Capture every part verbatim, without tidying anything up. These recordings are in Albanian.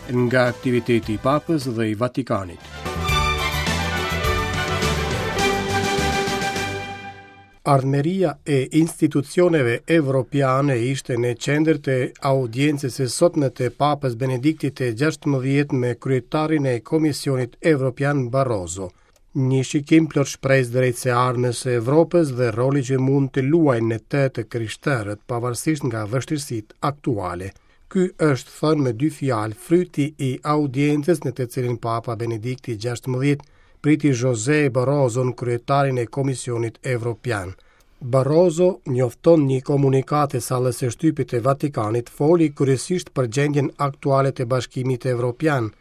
Nga aktiviteti i Papës dhe i Vatikanit. Ardhmëria e institucioneve evropiane ishte në qendër të audiencës së sotme të Papës Benediktit të gjashtëmbëdhjetë me kryetarin e Komisionit Evropian Barroso. Një shikim plot shpresë drejt së ardhmes së Evropës dhe roli që mund të luajnë në të të krishterët pavarësisht nga vështirësitë aktuale. Ky është thënë me dy fjalë fryti i audiencës në të cilin Papa Benedikti gjashtëmbëdhjetë priti José Barroso, kryetarin e Komisionit Evropian. Barroso njofton një komunikatë e sallës së shtypit të Vatikanit, foli kryesisht për gjendjen aktuale të Bashkimit Evropian,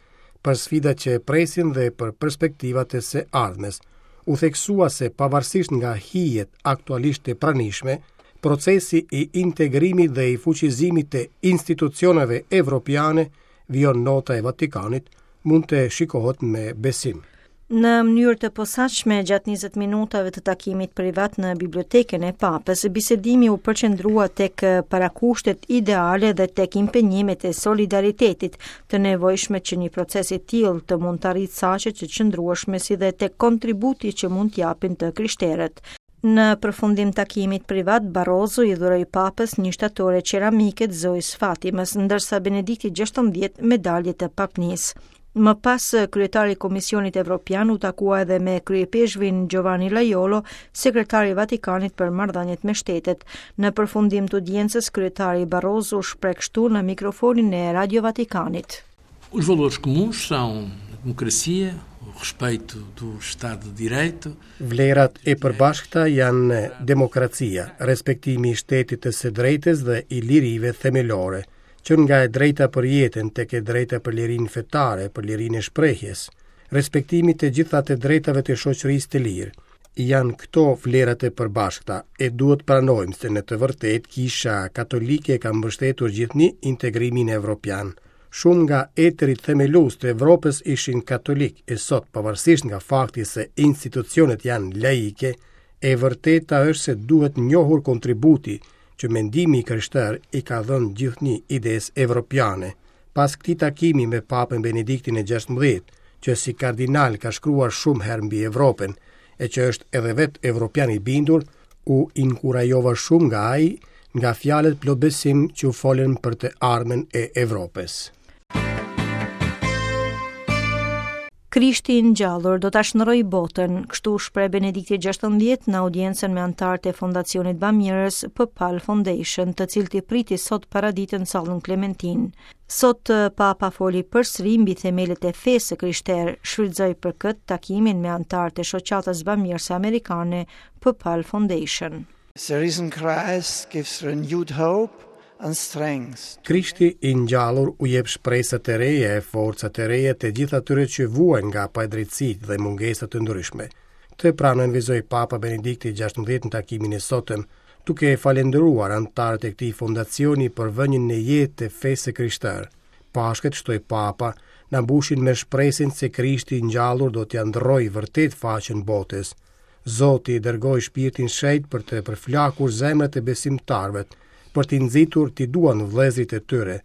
për sfidat që e presin dhe për perspektivat e së ardhmes. U theksua se pavarësisht nga hijet aktualisht të pranishme, procesi i integrimit dhe i fuqizimit të institucioneve evropiane, vijon nota e Vatikanit, mund të shikohet me besim. Në mënyrë të posaçme, gjatë njëzet minutave të takimit privat në bibliotekën e Papës, bisedimi u përqendrua tek parakushtet ideale dhe tek impenjimet e solidaritetit të nevojshme që një proces i tillë të mund të arrijë caqe të qëndrueshme, si dhe tek kontributi që mund t'japin të krishterët. Në përfundim takimit privat, Barroso i dhuroi Papës një shtatore qeramike të Zojës Fatimës, ndërsa Benedikti gjashtëmbëdhjetë medalje të papnisë. Më pas, kryetari i Komisionit Evropian u takua edhe me kryepeshvin Giovanni Lajolo, sekretari i Vatikanit për marrëdhëniet me shtetet. Në përfundim të audiencës, kryetari Barroso u shpreh kështu në mikrofonin e Radio Vatikanit. Os valores comuns são a democracia, o respeito do Estado de Direito. Vlerat e përbashkëta janë demokracia, respektimi i shtetit të së drejtës dhe i lirive themelore, që nga e drejta për jetën tek e drejta për lirinë fetare, për lirinë e shprehjes, respektimi të gjitha të drejtave të shoqërisë të lirë. Janë këto vlerat e përbashkëta e duhet pranojmë se në të vërtetë Kisha Katolike ka mbështetur gjithnjë integrimin evropian. Shumë nga etërit themelues të Evropës ishin katolik e sot, pavarësisht nga fakti se institucionet janë laike, e vërteta është se duhet njohur kontributi që mendimi i krishterë i ka dhënë gjithnjë idesë evropiane. Pas këtij takimi me Papën Benediktin e gjashtëmbëdhjetë, që si kardinal ka shkruar shumë herë mbi Evropën, e që është edhe vetë evropian i bindur, u inkurajova shumë nga ai, nga fjalët plot besim që u folën për të ardhmen e Evropës. Krishti i ngjallur do ta shndërroj botën, kështu u shpreh Benedikti gjashtëmbëdhjetë në audiencën me anëtarët e Fondacionit Bamirës PPAL Foundation, të cilët i priti sot paraditën në sallën Klementin. Sot Papa foli përsëri mbi themelet e fesë së krishterë, shfrytëzoi për këtë takimin me anëtarët e shoqatës bamirëse amerikane PPAL Foundation. The risen Christ gives renewed hope and strength. Krishti i ngjallur u jep shpresa të reja e forca të reja të gjithë atyre që vuajnë nga padrejtësitë dhe mungesa të ndryshme. Këtë pranën vizoi Papa Benedikti gjashtëmbëdhjetë në takimin e sotëm, duke e falendëruar anëtarët e këtij fondacioni për vënien në jetë të fesë së krishterë. Pashkët, shtoi Papa, na mbushin me shpresën se Krishti i ngjallur do t'ia ndërrojë vërtet faqen botës. Zoti i dërgoi shpirtin shenjt për të përflakur zemrat e besimtarëve, për t'i nxitur t'i duan vëllezërit e tyre,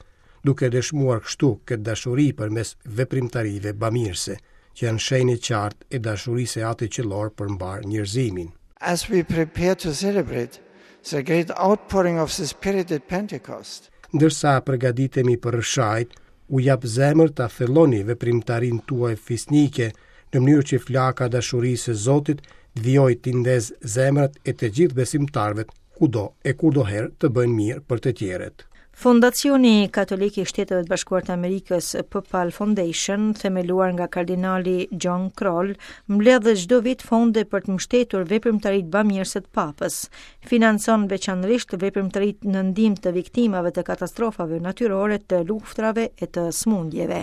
duke dëshmuar kështu këtë dashuri përmes veprimtarive bamirëse, që janë shenjë e qartë e dashurisë së Atit Qiellor për mbar njerëzimin. As we prepare to celebrate the great outpouring of the Spirit at Pentecost, Ndërsa përgatitemi për rrëshajt, u jap zemër ta thelloni veprimtarinë tuaj fisnike në mënyrë që flaka e dashurisë së Zotit të vijojë t'i ndez zemrat e të gjithë besimtarëve kudo e kurdoherë të bëjnë mirë për të tjerët. Fondacioni Katolik i Shteteve të Bashkuara të Amerikës, PPAL Foundation, themeluar nga kardinali John Krol, mbledh çdo vit fonde për të mbështetur veprimtaritë bamirëse të Papës. Financon veçanërisht veprimtaritë në ndihmë të viktimave të katastrofave natyrore, të luftrave e të sëmundjeve.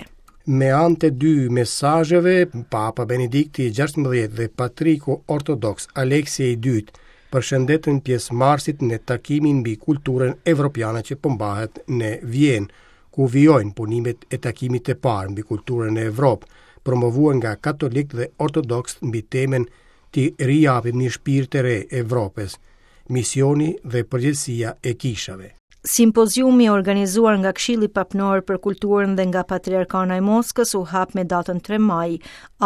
Me anë të dy mesazheve, Papa Benedikti i gjashtëmbëdhjetë dhe Patriku Ortodoks Aleksi i dytë përshëndetën pjesëmarrësit në takimin mbi kulturën evropiane që po mbahet në Vjenë, ku vijojnë punimet e takimit të parë mbi kulturën në Evropë, promovuar nga katolikë dhe ortodoksë mbi temën Ti rijapim një shpirt të re Evropës, misioni dhe përgjegjësia e kishave. Simpoziumi organizuar nga Këshilli Papnor për Kulturën dhe nga Patriarkana e Moskës u hap me datën tre maj.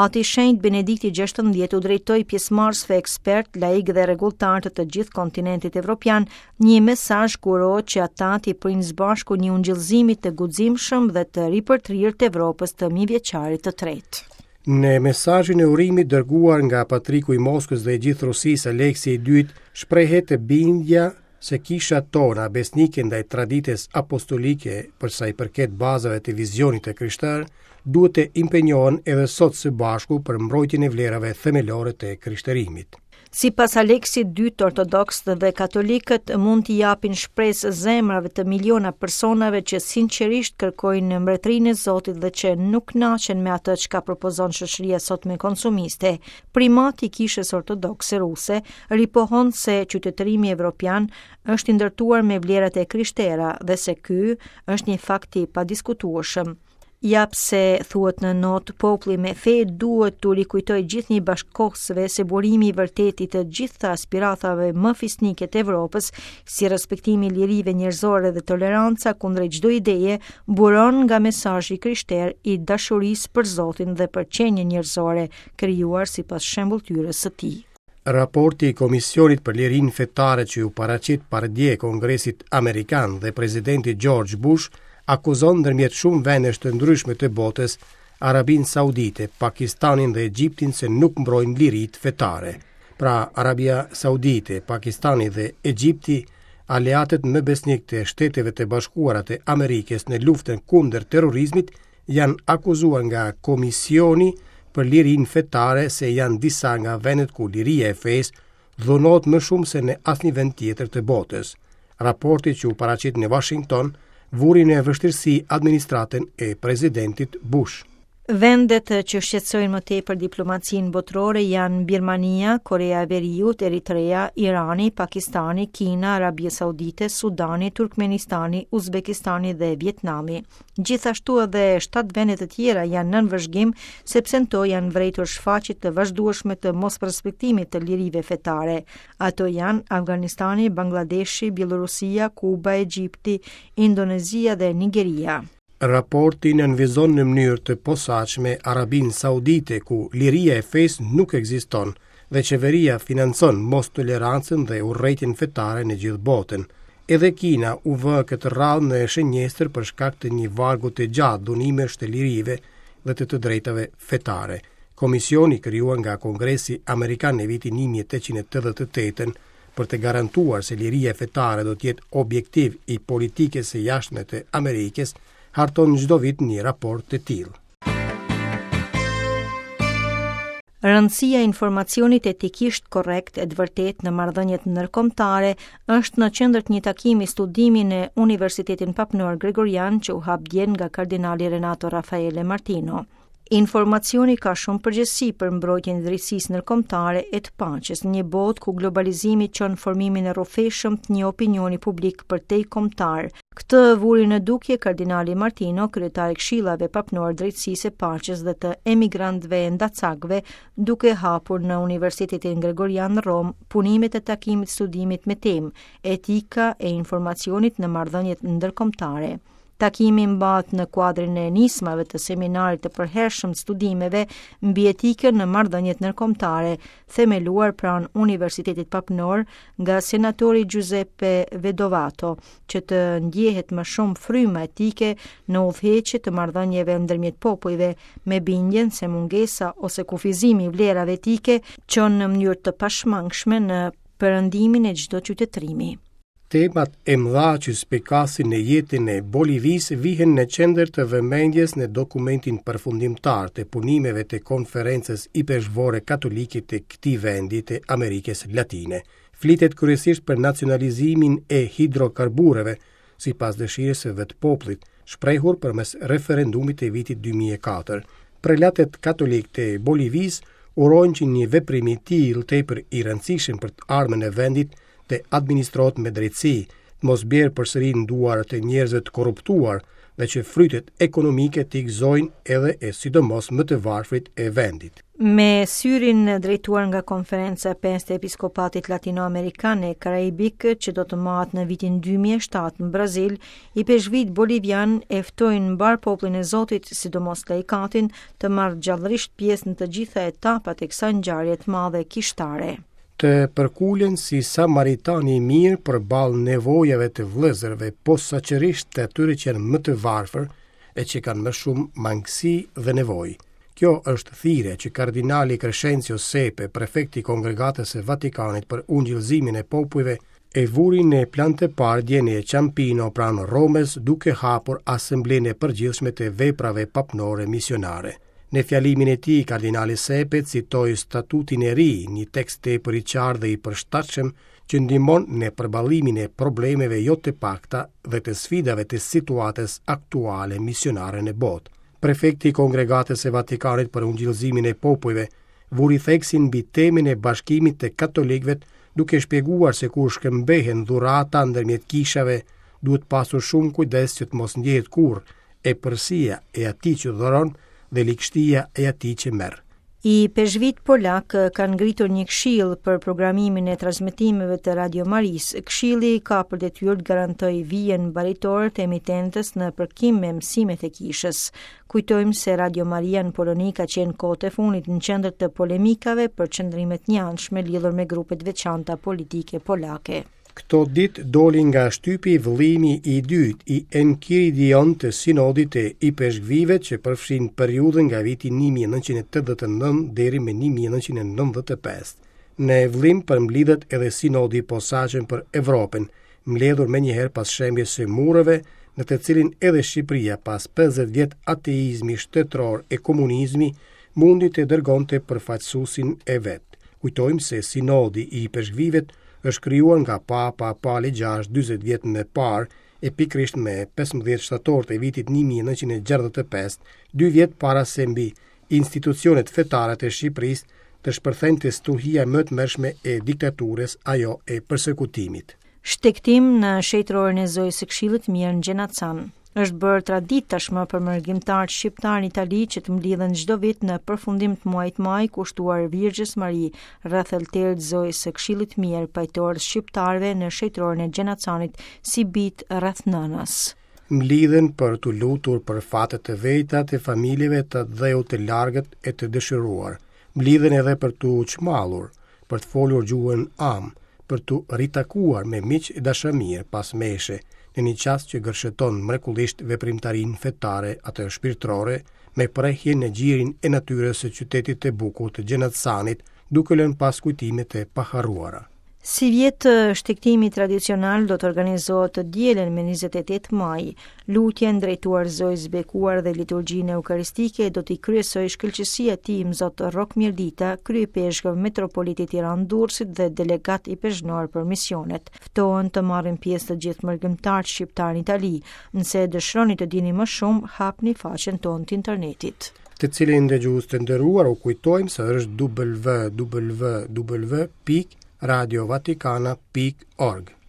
Ati Shenjt Benedikti gjashtëmbëdhjetë u drejtoi pjesëmarrësve ekspert, laik dhe rregulltar të të gjithë kontinentit evropian një mesazh ku uroi që ata t'i prijnë së bashku një ungjillzimi të guximshëm dhe të ripërtrirë të Evropës të mijëvjeçarit të tretë. Në mesazhin e urimit dërguar nga Patriku i Moskës dhe i gjithë Rusisë, Aleksi i dytë, shprehet bindja se kisha tona besnike ndaj traditës apostolike për sa i përket bazave të vizionit të krishterë, duhet të impenjohen edhe sot së bashku për mbrojtjen e vlerave themelore të krishterimit. Sipas Aleksit dytë, ortodoksët dhe katolikët mund t'i japin shpresë zemrave të miliona personave që sinqerisht kërkojnë mbretërinë e Zotit dhe që nuk kënaqen me atë çka propozon shoqëria sotme konsumiste. Primati i Kishës Ortodokse Ruse ripohon se qytetërimi evropian është i ndërtuar me vlerat e krishtera dhe se ky është një fakt i padiskutueshëm. Ja pse, thuhet në notë, populli me fe duhet t'u rikujtoj gjithnjë bashkëkohësve se burimi i vërtetë i të gjitha aspiratave më fisnike të Evropës, si respektimi i lirive njerëzore dhe toleranca kundër çdo ideje, buron nga mesazhi krishter i dashurisë për Zotin dhe për qenien njerëzore, krijuar sipas shembulltyrës së tij. Raporti i Komisionit për Lirinë Fetare që u paraqit pardje Kongresit Amerikan dhe presidenti George Bush akuzon ndërmjet shumë vendesh të ndryshme të botës, Arabinë Saudite, Pakistanin dhe Egjiptin se nuk mbrojnë liritë fetare. Pra, Arabia Saudite, Pakistani dhe Egjipti, aleatët më besnik të Shteteve të Bashkuara të Amerikës në luftën kundër terrorizmit, janë akuzuar nga Komisioni për Lirinë Fetare se janë disa nga vendet ku liria e fesë dhunohet më shumë se në asnjë vend tjetër të botës. Raporti që u paraqit në Washington vuri në vështirësi administratën e presidentit Bush. Vendet që shqetësojnë më tepër diplomacinë botërore janë Birmania, Korea e Veriut, Eritrea, Irani, Pakistani, Kina, Arabia Saudite, Sudani, Turkmenistani, Uzbekistani dhe Vietnami. Gjithashtu edhe shtatë vende të tjera janë nën vëzhgim, sepse në to janë vrejtur shfaqje të vazhdueshme të mosrespektimit të lirive fetare. Ato janë Afganistani, Bangladeshi, Bielorusia, Kuba, Egjipti, Indonezia dhe Nigeria. Raporti nënvizon në mënyrë të posaçme Arabinë Saudite, ku liria e fesë nuk ekziston dhe qeveria financon mos tolerancën dhe urrejtjen fetare në gjithë botën. Edhe Kina u vë këtë radhë në shënjestër për shkak të një vargu të gjatë dhunimesh të lirive dhe të të drejtave fetare. Komisioni krijuar nga Kongresi Amerikan në vitin një mijë e tetëqind e tetëdhjetë e tetë për të garantuar se liria fetare do të jetë objektiv i politikës së jashtme të Amerikës, harton çdo vit një raport të tillë. Rëndësia e informacionit etikisht korrekt e të vërtetë në marrëdhëniet ndërkombëtare është në qendër të një takimi studimi në Universitetin Papnor Gregorian që u hap dje nga kardinali Renato Raffaele Martino. Informacioni ka shumë përgjegjësi për mbrojtjen e drejtësisë ndërkombëtare e të paqes në një botë ku globalizimi çon formimin e rrofeshëm të një opinioni publik për te kombëtar. Këtë vuri në dukje kardinali Martino, kryetar i Këshillave Papnor Drejtësisë e Paqes dhe të emigrantëve e ndacakëve, duke hapur në Universitetin Gregorian në Romë punimet e takimit studimit me temë Etika e informacionit në marrëdhëniet ndërkombëtare. Takimi mbahet në kuadrin e nismave të seminarit të përhershëm të studimeve mbi etikën në marrëdhëniet ndërkombëtare, themeluar pranë Universitetit Papnor nga senatori Giuseppe Vedovato, që të ndjehet më shumë fryma etike në udhëheqje të marrëdhënieve ndërmjet popujve, me bindjen se mungesa ose kufizimi i vlerave etike çon në mënyrë të pashmangshme në perëndimin e çdo qytetërimi. Temat e mëdha që spikasin në jetën e Bolivisë vihen në qendër të vëmendjes në dokumentin përfundimtar të punimeve të Konferencës Ipeshkvore Katolike të këtij vendi të Amerikës Latine. Flitet kryesisht për nacionalizimin e hidrokarbureve, sipas dëshirës së vetë popullit, shprehur përmes referendumit të vitit dy mijë e katër. Prelatët katolikë të Bolivisë urojnë që një veprim i tillë tepër i rëndësishëm për të ardhmen e vendit të administrohet me drejtësi, të mos bjerë përsëri në duar të njerëzve të korruptuar, dhe që frytet ekonomike t'i gëzojnë edhe e sidomos më të varfrit e vendit. Me syrin drejtuar nga konferenca e pestë e Episkopatit Latinoamerikan e Karaibik që do të mbahet në vitin dy mijë e shtatë në Brazil, ipeshkvit bolivian e ftojnë mbar popullin e Zotit, sidomos laikatin, të marrë gjallërisht pjesë në të gjitha etapat e kësaj ngjarje të madhe kishtare. Të përkulen si Samaritani i mirë përballë nevojave të vëllezërve, posaçërisht të atyre që janë më të varfër e që kanë më shumë mangësi dhe nevojë. Kjo është thirrja që kardinali Crescenzio Sepe, prefekti i Kongregatës së Vatikanit për ungjillëzimin e popujve, e vuri në plan të parë dje në Ciampino pranë Romës, duke hapur Asamblenë e Përgjithshme të Veprave Papnore Misionare. Në fjalimin e tij, kardinali Sepe citoi statutin e ri, një tekst tepër i qartë dhe i përshtatshëm që ndihmon në përballimin e problemeve jo të pakta dhe të sfidave të situatës aktuale misionare në botë. Prefekti i Kongregatës së Vatikanit për ungjillëzimin e popujve vuri theksin mbi temën e bashkimit të katolikëve, duke shpjeguar se kur shkëmbehen dhurata ndërmjet kishave, duhet pasur shumë kujdes që të mos ndjehet kurrë epërsia e atij që dhuron dhe ligështia e atij që merr. Ipeshkvit polak kanë ngritur një këshill për programimin e transmetimeve të Radio Marisë. Këshilli ka për detyrë të garantojë vijën baritore të emitentës në përkim me mësimet e kishës. Kujtojmë se Radio Maria në Poloni ka qenë kohët e fundit në qendër të polemikave për qëndrimet njanshme lidhur me grupet veçanta politike polake. Këto ditë doli nga shtypi vëllimi i dytë i Enkiridion të sinodit të ipeshkvive që përfshin periudhën nga viti një mijë e nëntëqind e tetëdhjetë e nëntë deri më një mijë e nëntëqind e nëntëdhjetë e pesë. Në vëllim përmblidhet edhe sinodi i posaçëm për Evropën, mbledhur menjëherë pas shembjes së mureve, në të cilin edhe Shqipëria pas pesëdhjetë vjet ateizmi shtetëror e komunizmi mundi të dërgonte përfaqësuesin e vet. Kujtojmë se sinodi i ipeshkvive është krijuar nga Papa Pali gjashtë dyzet vjet më parë e pikërisht me pesëmbëdhjetë shtator të vitit një mijë e nëntëqind e gjashtëdhjetë e pesë, dy vjet para se mbi institucionet fetare të Shqipërisë të shpërthente stuhia më të mërshme e diktaturës, ajo e persekutimit. Shtegtim në shenjtëroren e Zojës së Këshillit Mirë në Gjenacan. Është bërë traditë tashmë për mërgimtarët shqiptar në Itali që të mblidhen çdo vit në përfundim të muajit maj kushtuar Virgjës Mari rreth altarit të Zojës së Këshillit Mirë, pajtorët shqiptarëve në shenjtëroren e Gjenacanit si bit rreth nënës. Mblidhen për t'u lutur për fatet e veta të familjeve të dheut të largët e të dëshiruar. Mblidhen edhe për t'u çmallur, për të folur gjuhën am, për t'u ritakuar me miq e dashamirë pas meshe, në një çast që gërsheton mrekullisht veprimtarinë fetare atë shpirtërore me prehjen në gjirin e natyrës së qytetit të bukur të Gjenacanit, duke lënë pas kujtimet e paharruara. Si vjet shtegtimi tradicional do të organizohet të dielën me njëzet e tetë maj. Lutjen drejtuar Zojës Bekuar dhe liturgjinë eukaristike do t'i kryesojë shkëlqesia e tij Mzot Rrok Mirdita, kryepeshkov metropolitit Tiranë Durrësit dhe delegat i pezhnor për misionet. Ftohen të marrin pjesë të gjithë mërgimtarët shqiptar në Itali. Nëse dëshironi të dini më shumë, hapni faqen tonë të internetit. Të cilin dëgjues të nderuar u kujtojmë se është w w w pikë radio vatikana pikë org.